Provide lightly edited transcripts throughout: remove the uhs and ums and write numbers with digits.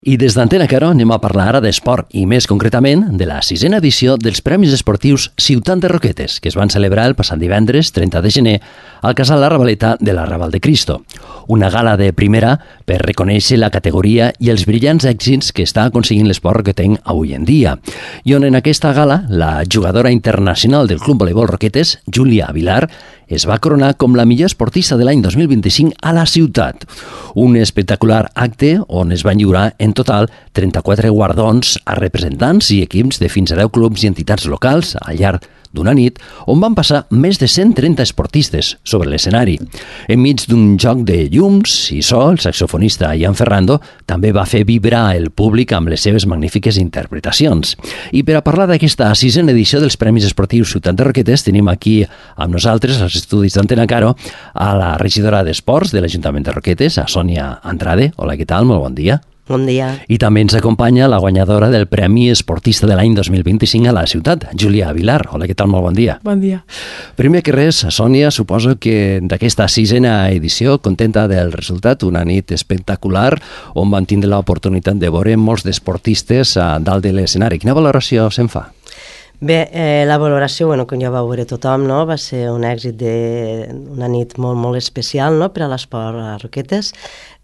I des d'Antena Caro anem a parlar ara d'esport i més concretament de la 6a edició dels Premis Esportius Ciutat de Roquetes, que es van celebrar el passat divendres 30 de gener al Casal La Ravaleta de la Raval de Cristo. Una gala de primera per reconèixer la categoria i els brillants èxits que està aconseguint l'esport roquetenc avui en dia. I on en aquesta gala, la jugadora internacional del Club Voleibol Roquetes, Júlia Vilar, es va coronar com la millor esportista de l'any 2025 a la ciutat. Un espectacular acte on es van lliurar en total 34 guardons a representants i equips de fins a 10 clubs i entitats locals al llarg d'una nit on van passar més de 130 esportistes sobre l'escenari. Enmig d'un joc de llums i so, el saxofonista Ian Ferrando també va fer vibrar el públic amb les seves magnífiques interpretacions. I per a parlar d'aquesta 6a edició dels Premis Esportius Ciutat de Roquetes tenim aquí amb nosaltres, als estudis d'Antena Caro, a la regidora d'Esports de l'Ajuntament de Roquetes, a Sònia Andrade. Hola, què tal? Molt bon dia. Bon dia. I també ens acompanya la guanyadora del Premi Esportista de l'any 2025 a la ciutat, Júlia Vilar. Hola, què tal? Molt bon dia. Bon dia. Primer que res, Sònia, suposo que d'aquesta 6a edició, contenta del resultat, una nit espectacular on van tindre l'oportunitat de veure molts d'esportistes a dalt de l'escenari. Quina valoració se'n fa? Bé, la valoració, com ja va veure tothom, no? Va ser un èxit una nit molt, molt especial, no? Per a l'esport a Roquetes.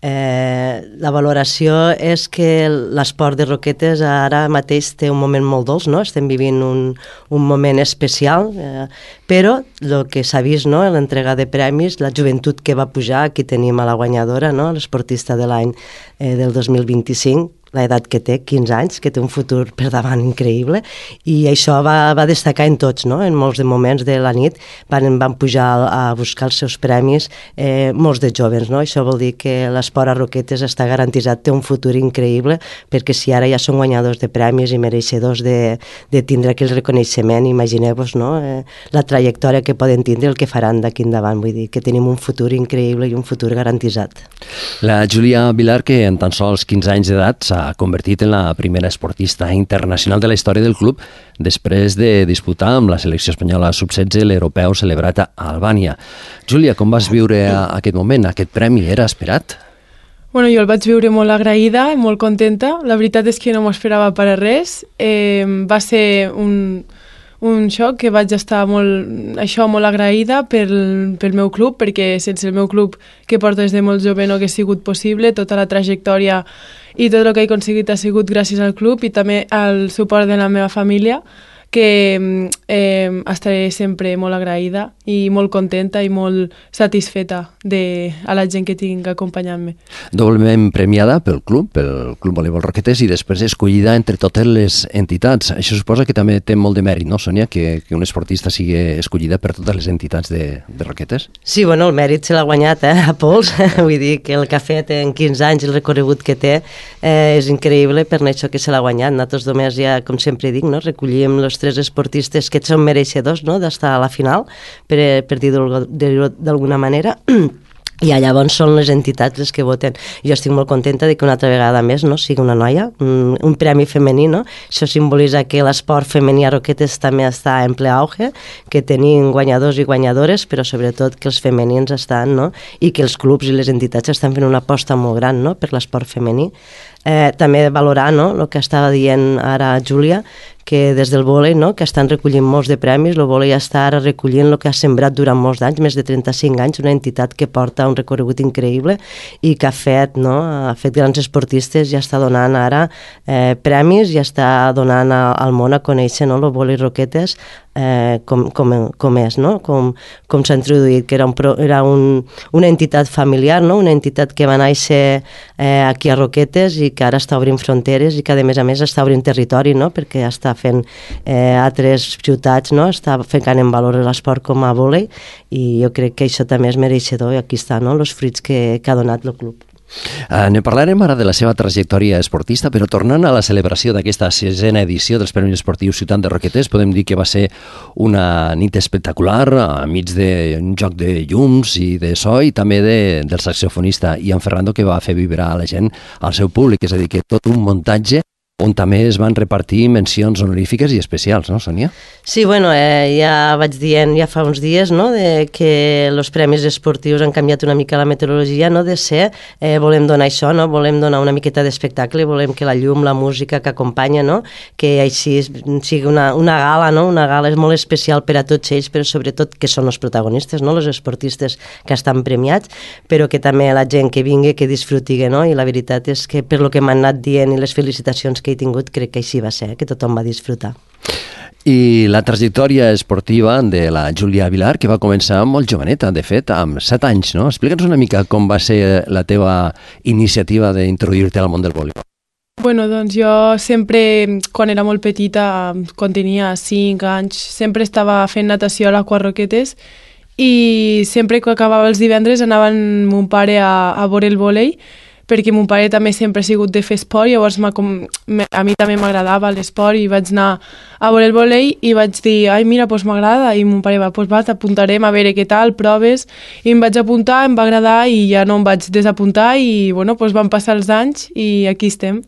La valoració és que l'esport de Roquetes ara mateix té un moment molt dolç, no? Estem vivint un moment especial, però el que s'ha vist, no? L'entrega de premis, la joventut que va pujar, aquí tenim a la guanyadora, no? L'esportista de l'any del 2025, l'edat que té, 15 anys, que té un futur per davant increïble, i això va destacar en tots, no? En molts de moments de la nit van pujar a buscar els seus premis molts de joves, no? Això vol dir que l'esport a Roquetes està garantitzat, té un futur increïble, perquè si ara ja són guanyadors de premis i mereixedors de tindre aquell reconeixement, imagineu-vos, no? La trajectòria que poden tindre, el que faran d'aquí endavant, vull dir que tenim un futur increïble i un futur garantitzat. La Júlia Vilar, que en tan sols 15 anys d'edat s'ha convertit en la primera esportista internacional de la història del club després de disputar amb la selecció espanyola sub-16 l'europeu celebrat a Albània. Júlia, com vas viure aquest moment? Aquest premi era esperat? Jo el vaig viure molt agraïda i molt contenta. La veritat és que no m'ho esperava per a res. Va ser un xoc que vaig estar molt agraïda pel meu club, perquè sense el meu club que porto des de molt jove no hagués sigut possible. Tota la trajectòria i tot el que he aconseguit ha sigut gràcies al club i també al suport de la meva família, que estaré sempre molt agraïda i molt contenta i molt satisfeta a la gent que tinc acompanyant-me. Doblement premiada pel Club Voleibol Roquetes i després escollida entre totes les entitats. Això suposa que també té molt de mèrit, no, Sònia, que un esportista sigui escollida per totes les entitats de Roquetes? Sí, el mèrit se l'ha guanyat, a pols. Vull dir que el que ha fet en 15 anys, el recorregut que té, és increïble per això que se l'ha guanyat. Nosaltres només ja, com sempre dic, recollim els 3 esportistes que són mereixedors, no?, d'estar a la final, per dir-ho d'alguna manera, i llavors són les entitats les que voten. Jo estic molt contenta de que una altra vegada més sigui una noia, un premi femení, no? Això simbolitza que l'esport femení a Roquetes també està en ple auge, que tenim guanyadors i guanyadores, però sobretot que els femenins estan, no? I que els clubs i les entitats estan fent una aposta molt gran, no?, per l'esport femení. També valorar, no?, el que estava dient ara Júlia, que des del vòlei, no?, que estan recollint molts de premis, el vòlei està ara recollint el que ha sembrat durant molts anys, més de 35 anys, una entitat que porta un recorregut increïble i que ha fet grans esportistes, ja està donant ara premis, ja està donant al món a conèixer, no?, el vòlei Roquetes com és, no?, com s'ha introduït, que era una entitat familiar, no?, una entitat que va néixer aquí a Roquetes i que ara està obrint fronteres i que a més està obrint territori, no?, perquè està fent altres ciutats, no?, està ficant en valor l'esport com a vòlei, i jo crec que això també és mereixedor, i aquí està, no?, els fruits que ha donat el club. Ne parlarem ara de la seva trajectòria esportista, però tornant a la celebració d'aquesta 6a edició dels Premis Esportius Ciutat de Roquetes, podem dir que va ser una nit espectacular, enmig d'un joc de llums i de so, i també del saxofonista Ian Ferrando, que va fer vibrar a la gent, al seu públic, és a dir, que tot un muntatge on també es van repartir mencions honorífiques i especials, no, Sònia? Sí, bueno, ja vaig dient ja fa uns dies, no?, de que els premis esportius han canviat una mica la meteorologia, no?, de ser, volem donar això, no?, volem donar una miqueta d'espectacle, volem que la llum, la música que acompanya, no?, que així sigui una gala, no?, una gala és molt especial per a tots ells, però sobretot que són els protagonistes, no?, els esportistes que estan premiats, però que també la gent que vingui, que disfruti, no?, i la veritat és que per lo que m'han anat dient i les felicitacions que he tingut, crec que així va ser, que tothom va disfrutar. I la trajectòria esportiva de la Júlia Vilar, que va començar molt joveneta, de fet, amb 7 anys, no? Explica'ns una mica com va ser la teva iniciativa d'introduir-te al món del voleibol. Bueno, doncs jo sempre, quan era molt petita, quan tenia 5 anys, sempre estava fent natació a l'Aqua Roquetes i sempre que acabava els divendres anava amb mon pare a veure el vòlei, perquè mon pare també sempre ha sigut de fer esport, llavors a mi també m'agradava l'esport i vaig anar a veure el vòlei i vaig dir, ai mira, doncs m'agrada, i mon pare va, doncs va, t'apuntarem a veure què tal, proves, i em vaig apuntar, em va agradar i ja no em vaig desapuntar i bueno, doncs van passar els anys i aquí estem.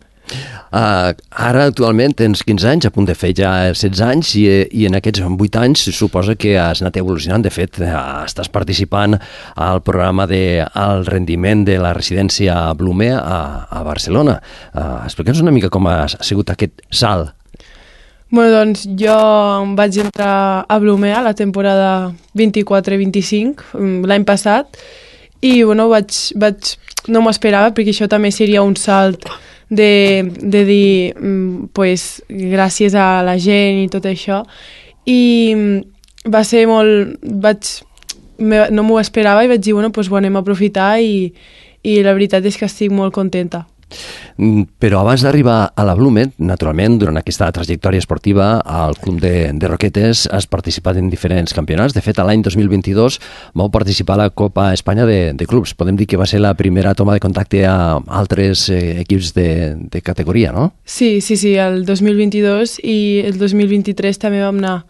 Ara actualment tens 15 anys, a punt de fer ja 16 anys i en aquests 8 anys suposa que has anat evolucionant. De fet, estàs participant al programa del rendiment de la residència Blume a Barcelona. Explica'ns una mica com ha sigut aquest salt. Bueno, doncs jo vaig entrar a Blume a la temporada 24-25 l'any passat i bueno, no m'ho esperava perquè això també seria un salt de dir pues, gràcies a la gent i tot això i va ser molt no m'ho esperava i vaig dir bueno, pues, ho anem a aprofitar i la veritat és que estic molt contenta. Però abans d'arribar a la Blume, naturalment, durant aquesta trajectòria esportiva, al Club de Roquetes has participat en diferents campionats. De fet, l'any 2022 vau participar a la Copa Espanya de Clubs. Podem dir que va ser la primera toma de contacte a altres equips de categoria, no? Sí, el 2022 i el 2023 també vam anar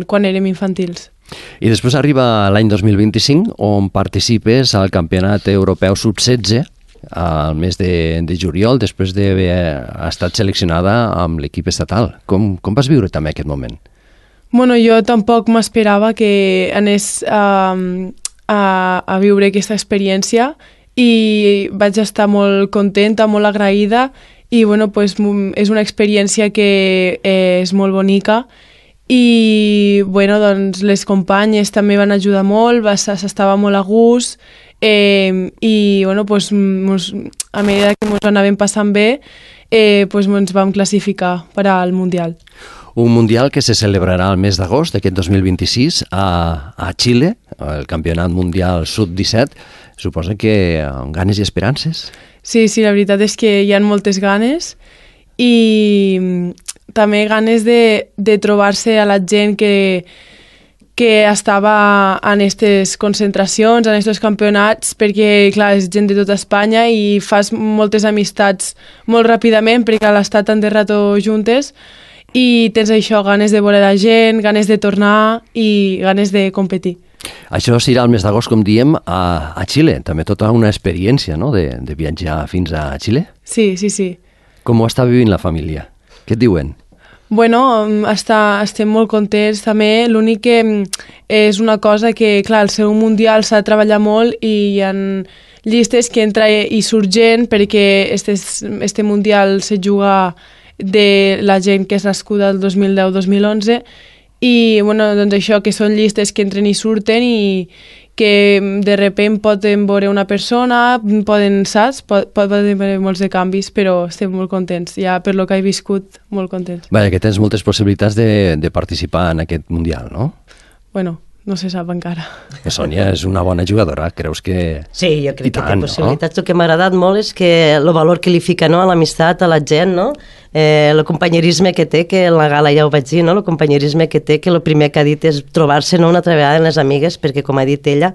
quan érem infantils. I després arriba l'any 2025, on participes al Campionat Europeu Sub-16, al mes de juliol, després d'haver estat seleccionada amb l'equip estatal. Com vas viure també aquest moment? Bueno, jo tampoc m'esperava que anés a viure aquesta experiència i vaig estar molt contenta, molt agraïda i bueno, pues, és una experiència que és molt bonica i bueno, doncs, les companyes també van ajudar molt, s'estava molt a gust i bueno, pues, a medida que ens anàvem passant bé pues, ens vam classificar per al Mundial. Un Mundial que se celebrarà el mes d'agost d'aquest 2026 a Xile, el Campionat Mundial Sub-17. Suposa que amb ganes i esperances? Sí, la veritat és que hi ha moltes ganes i també ganes de trobar-se a la gent que estava en aquestes concentracions, en aquests campionats, perquè, clar, és gent de tota Espanya i fas moltes amistats molt ràpidament perquè han estat tant de rato juntes i tens això, ganes de veure la gent, ganes de tornar i ganes de competir. Això serà el mes d'agost, com diem, a Xile. També tota una experiència, no?, de viatjar fins a Xile. Sí. Com ho està vivint la família? Què et diuen? Bueno, estem molt contents també. L'únic que és una cosa que, clar, al ser un mundial s'ha de treballar molt i hi ha llistes que entra i surt gent perquè este mundial se juga de la gent que és nascuda el 2010-2011 i bueno, doncs això, que són llistes que entren i surten i que de repente poden veure una persona, poden haver molts de canvis, però estem molt contents, ja per lo que he viscut, molt contents. Vaja, que tens moltes possibilitats de participar en aquest Mundial, no? Bueno, no se sap encara. Sònia és una bona jugadora, creus que... Sí, jo crec que té possibilitats. El que m'ha agradat molt és que el valor que li fica, no?, a l'amistat, a la gent, no?, el companyerisme que té, que en la gala ja ho vaig dir, no?, el companyerisme que té, que el primer que ha dit és trobar-se, no?, una altra vegada en les amigues, perquè, com ha dit ella,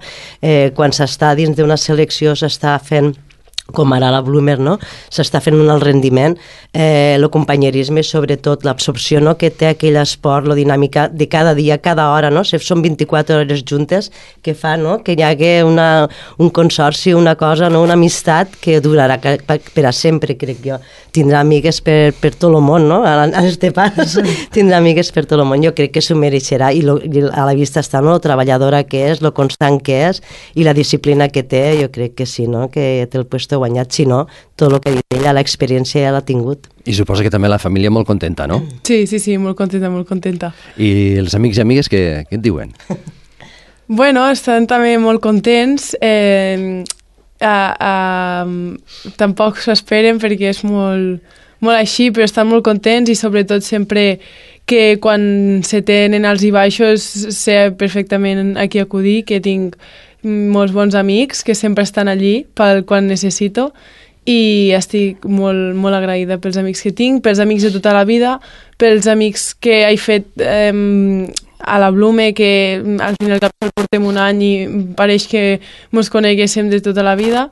quan s'està dins d'una selecció s'està fent com ara la Bloomer, no? S'està fent un alt rendiment, el companyerisme, sobretot l'absorció, no?, que té aquell esport, la dinàmica de cada dia, cada hora, no? Són 24 hores juntes que fa, no?, que hi hagi un consorci, una cosa, no?, una amistat que durarà per a sempre, crec jo. Tindrà amigues per tot el món, no? A l'Estepans tindrà amigues per tot el món. Jo crec que s'ho mereixerà i a la vista està, no?, lo treballadora que és, lo constant que és i la disciplina que té, jo crec que sí, no?, que té el puesto guanyat, si no, tot el que ha dit ella, l'experiència ja l'ha tingut. I suposa que també la família molt contenta, no? Sí, molt contenta, molt contenta. I els amics i amigues què et diuen? Bueno, estan també molt contents. Tampoc s'ho esperen perquè és molt així, però estan molt contents i sobretot sempre que quan se tenen alts i baixos sé perfectament a qui acudir, que tinc molts bons amics que sempre estan allí quan necessito i estic molt agraïda pels amics que tinc, pels amics de tota la vida, pels amics que he fet a la Blume, que al final portem un any i pareix que ens coneguéssim de tota la vida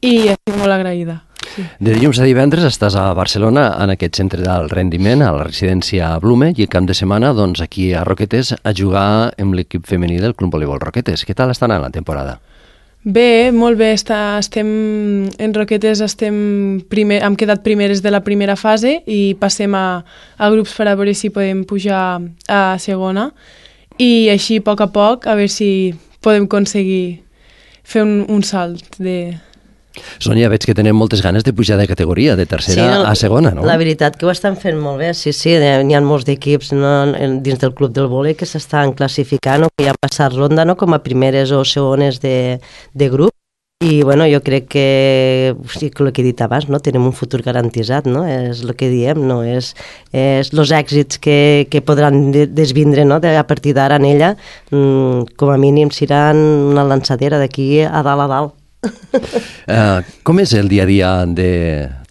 i estic molt agraïda. Sí. De dilluns a divendres estàs a Barcelona en aquest centre d'alt rendiment, a la residència Blume, i el cap de setmana doncs, aquí a Roquetes a jugar amb l'equip femení del Club Voleibol Roquetes. Què tal està anant la temporada? Bé, molt bé. Estem en Roquetes, hem quedat primeres de la primera fase i passem a grups per a veure si podem pujar a segona i així a poc a veure si podem aconseguir fer un salt de... Sònia, veig que tenen moltes ganes de pujar de categoria, de tercera a segona, no? La veritat que ho estan fent molt bé, sí, n'hi ha molts d'equips dins del club del vòlei que s'estan classificant o que ja han passat ronda, no?, com a primeres o segones de grup i bueno, jo crec que el que he dit abans, no?, tenim un futur garantitzat, no?, és el que diem, no?, és els èxits que podran desvindre, no?, a partir d'ara en ella, com a mínim seran una lançadera d'aquí a dalt. Com és el dia a dia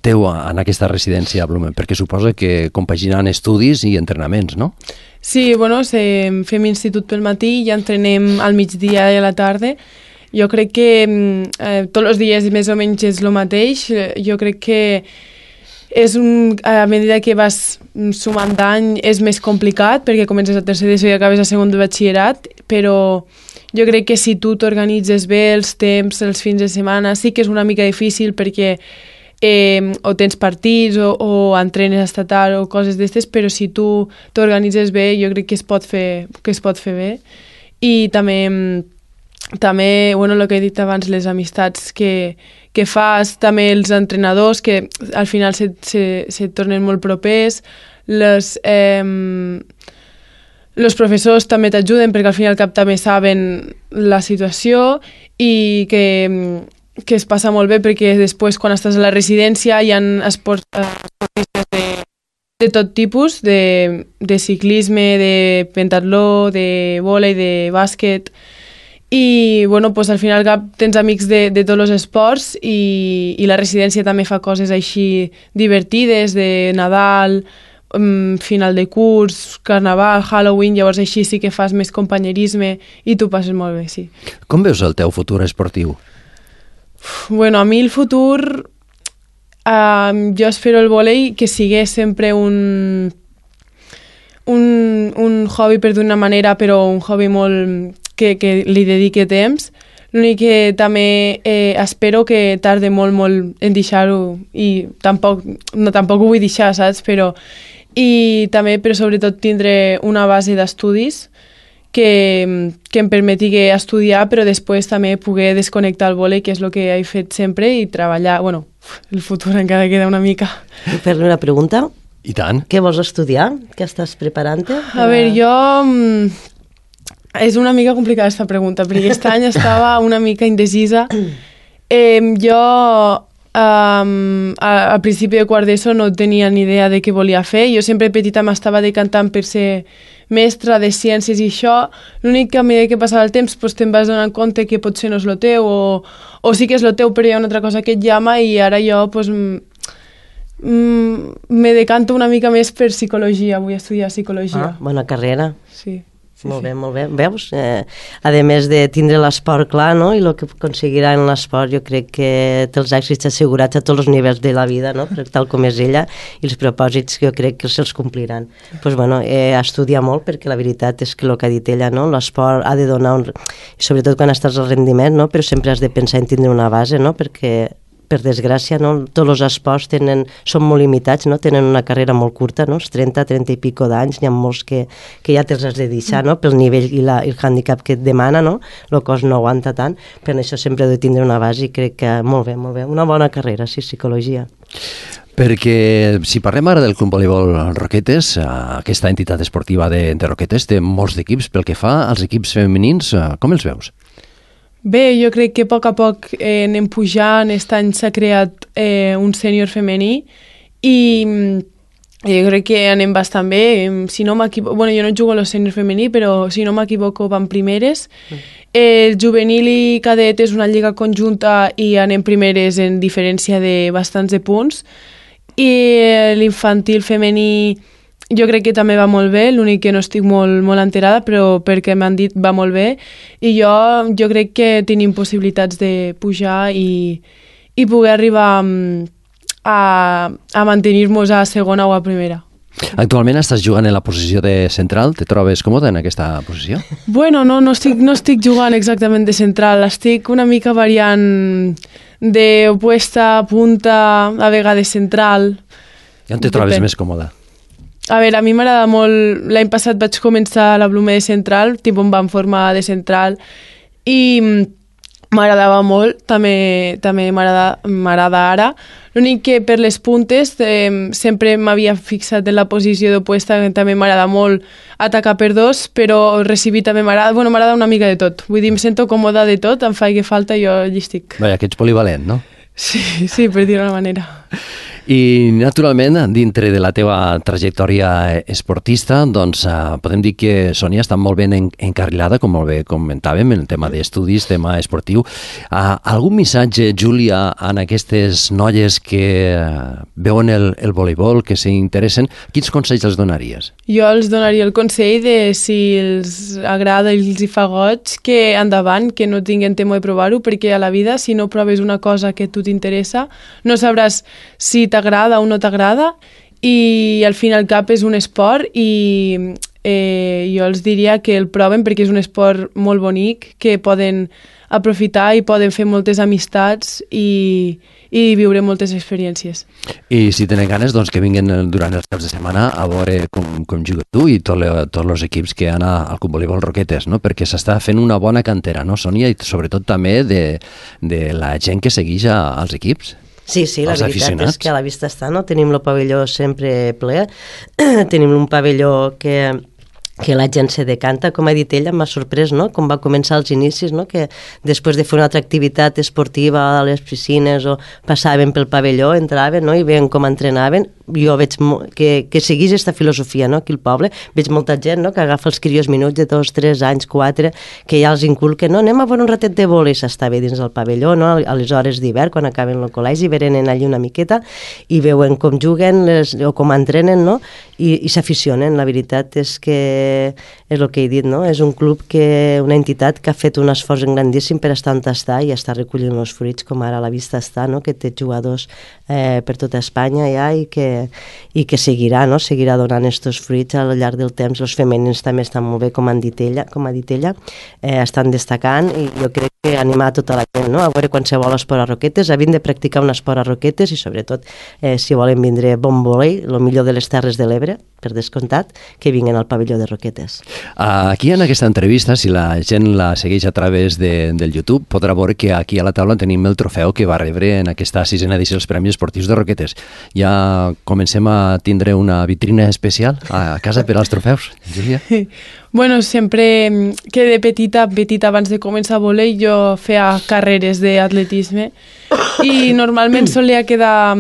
teu en aquesta residència a Blumen? Perquè suposa que compaginant estudis i entrenaments, no? Sí, bueno, fem institut pel matí i entrenem al migdia i a la tarda. Jo crec que tots els dies més o menys és el mateix. Jo crec que a mesura que vas sumant d'any és més complicat perquè comences a tercer d'ESO i acabes a segon de batxillerat, però jo crec que si tu t'organitzes bé els temps, els fins de setmana, sí que és una mica difícil perquè o tens partits o entrenes estatal o coses d'estes, però si tu t'organitzes bé jo crec que es pot fer bé. I també bueno, el que he dit abans, les amistats que fas, també els entrenadors que al final se tornen molt propers, els professors també t'ajuden perquè al fin i al cap també saben la situació i que es passa molt bé perquè després quan estàs a la residència hi ha esportistes de tot tipus, de ciclisme, de pentatló, de vòlei, de bàsquet i bueno, pues, al fin i al cap tens amics de tots els esports i la residència també fa coses així divertides de Nadal, final de curs, carnaval, Halloween, llavors així sí que fas més companyerisme i tu passes molt bé, sí. Com veus el teu futur esportiu? Bueno, a mi el futur jo espero el vòlei que sigui sempre un hobby per d'una manera, però un hobby molt que li dedique temps. L'únic que també espero que tarde molt en deixar-ho i tampoc ho vull deixar, saps? Però sobretot tindre una base d'estudis que em permeti estudiar, però després també poder desconnectar el vòlei, que és el que he fet sempre, i treballar. Bueno, el futur encara queda una mica. Puc fer-li una pregunta? I tant. Què vols estudiar? Què estàs preparant-te? A veure, jo... És una mica complicada aquesta pregunta, perquè aquest any estava una mica indecisa. Jo, al principi de quart d'ESO, no tenia ni idea de què volia fer. Jo sempre petita m'estava decantant per ser mestra de ciències i això. L'únic que a mesura que passava el temps te'n vas donant compte que potser no és el teu o sí que és el teu però hi ha una altra cosa que et llama i ara jo me decanto una mica més per psicologia. Vull estudiar psicologia. Bona carrera. Sí. Molt bé, molt bé. Veus? A més de tindre l'esport clar, no? I el que aconseguirà en l'esport, jo crec que té els èxits assegurats a tots els nivells de la vida, no? Tal com és ella, i els propòsits que jo crec que se'ls compliran. Pues, bueno, estudiar molt, perquè la veritat és que el que ha dit ella, no? L'esport ha de donar sobretot quan estàs al rendiment, no? Però sempre has de pensar en tindre una base, no? Perquè per desgràcia, no? Tots els esports són molt limitats, no? Tenen una carrera molt curta, no? Els 30 i pico d'anys, n'hi ha molts que ja te'ls has de deixar, no? Pel nivell i el hàndicap que et demana, no? El cos no aguanta tant, per això sempre he de tindre una base i crec que molt bé, una bona carrera, sí, psicologia. Perquè si parlem ara del Club Voleibol Roquetes, aquesta entitat esportiva de Roquetes té molts equips. Pel que fa als equips femenins, com els veus? Bé, jo crec que a poc anem pujant. Aquest any s'ha creat un sènior femení i jo crec que anem bastant bé. Si no m'equivoco, bueno, jo no jugo a los sènior femení, però si no m'equivoco van primeres. El juvenil i cadet és una lliga conjunta i anem primeres en diferència de bastants de punts. I l'infantil femení jo crec que també va molt bé, l'únic que no estic molt enterada, però perquè m'han dit va molt bé, i jo crec que tenim possibilitats de pujar i poder arribar a mantenir-nos a segona o a primera. Actualment estàs jugant en la posició de central, te trobes còmode en aquesta posició? Bueno, no estic jugant exactament de central, estic una mica variant d'opuesta, punta, a vegades central. I on te trobes més còmode? A veure, a mi m'agrada molt... L'any passat vaig començar a la Blume de central, tipus em van formar de central, i m'agradava molt, també m'agrada ara. L'únic que per les puntes sempre m'havia fixat en la posició d'opuesta, que també m'agrada molt atacar per dos, però recibir també m'agrada. Bueno, m'agrada una mica de tot. Vull dir, em sento còmoda de tot, em fa que falta, jo allí estic. Vaja, que ets polivalent, no? Sí, per dir-ho d'una manera. I, naturalment, dintre de la teva trajectòria esportista, doncs podem dir que Sònia està molt ben encarrilada, com molt bé comentàvem, en el tema d'estudis, tema esportiu. Algun missatge, Júlia, en aquestes noies que veuen el voleibol, que s'interessen, quins consells els donaries? Jo els donaria el consell de si els agrada i els hi fa goig, que endavant, que no tinguin temor de provar-ho, perquè a la vida, si no proves una cosa que a tu t'interessa, no sabràs si t'agrada o no t'agrada, i al fin i al cap és un esport i jo els diria que el proven perquè és un esport molt bonic, que poden aprofitar i poden fer moltes amistats i viure moltes experiències. I si tenen ganes, doncs que vinguin durant els caps de setmana a veure com jugues tu i tots els equips que han al Club Voleibol Roquetes, no? Perquè s'està fent una bona cantera, no, Sònia? I sobretot també de la gent que segueix als equips. Sí, la veritat és que a la vista està, no? Tenim el pavelló sempre ple, tenim un pavelló que la gent se decanta, com ha dit ella, m'ha sorprès, no? Com va començar els inicis, no? Que després de fer una altra activitat esportiva a les piscines o passaven pel pavelló, entraven, no? I veien com entrenaven. Jo veig que seguís aquesta filosofia, no? Aquí al poble veig molta gent, no? Que agafa els crios minuts de 2, 3 anys, 4, que ja els inculquen, no? Anem a veure un ratet de vòlei, s'està bé dins del pavelló, no? A les hores d'hivern, quan acaben el col·legi, venen allí una miqueta i veuen com juguen o com entrenen, no? I s'aficionen. La veritat és que és el que he dit, no? És un club, una entitat que ha fet un esforç grandíssim per estar on està i està recollint els fruits, com ara a la vista està, no? Que té jugadors per tota Espanya ja i que seguirà, no? Seguirà donant aquests fruits al llarg del temps. Els femenins també estan molt bé, com ha dit ella, estan destacant, i jo crec que animar tota la gent, no? A veure qualsevol esport a Roquetes, a vindre a practicar un esport a Roquetes, i sobretot si volen vindre bon vòlei, el millor de les Terres de l'Ebre, per descomptat, que vinguin al pavelló de Roquetes. Aquí en aquesta entrevista, si la gent la segueix a través del YouTube, podrà veure que aquí a la taula tenim el trofeu que va rebre en aquesta 6a edició dels Premis Esportius de Roquetes. Ja comencem a tindre una vitrina especial a casa per als trofeus, Júlia? Bueno, sempre que de petita abans de començar a voler, jo feia carreres d'atletisme i normalment solia quedar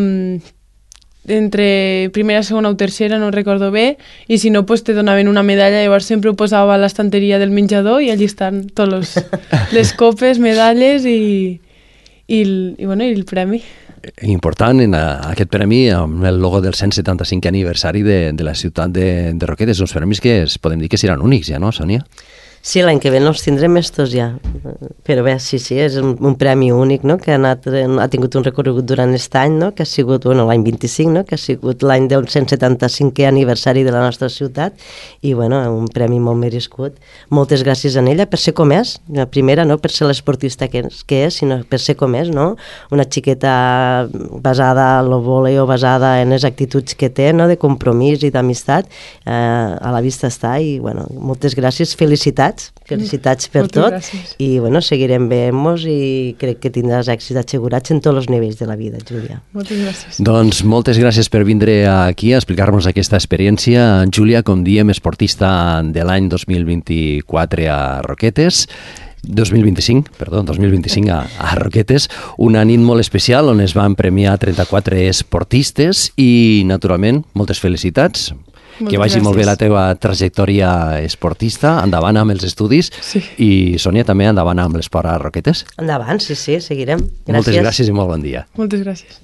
entre primera, segona o tercera, no recordo bé, i si no, pues te donaven una medalla. Llavors sempre ho posava a l'estanteria del menjador i allí estan tots les copes, medalles i el premi. important en aquest premi amb el logo del 175 aniversari de la ciutat de Roquetes, uns premis que podem dir que seran únics ja, no, Sònia? Sí, l'any que ve no els tindrem estos ja, però bé, sí, és un premi únic, no?, que ha tingut un recorregut durant aquest any, no?, que ha sigut, bueno, l'any 25, no?, que ha sigut l'any del 175è aniversari de la nostra ciutat, i, bueno, un premi molt merescut. Moltes gràcies a ella per ser com és, la primera, no per ser l'esportista que és, sinó per ser com és, no?, una xiqueta basada en el vòlei o basada en les actituds que té, no?, de compromís i d'amistat, a la vista està, i, bueno, moltes gràcies, felicitats per moltes tot, gràcies. i bueno, seguirem veient-nos i crec que tindràs èxits assegurats en tots els nivells de la vida, Júlia. Moltes gràcies. Doncs moltes gràcies per vindre aquí a explicar-nos aquesta experiència. Júlia, com diem, esportista de l'any 2024 a Roquetes, 2025 a Roquetes, una nit molt especial on es van premiar 34 esportistes i, naturalment, moltes felicitats. Moltes que vagi gràcies. molt bé la teva trajectòria esportista, endavant amb els estudis, Sí. i Sònia també endavant amb l'esport a Roquetes. Endavant, sí, seguirem. Gràcies. Moltes gràcies i molt bon dia. Moltes gràcies.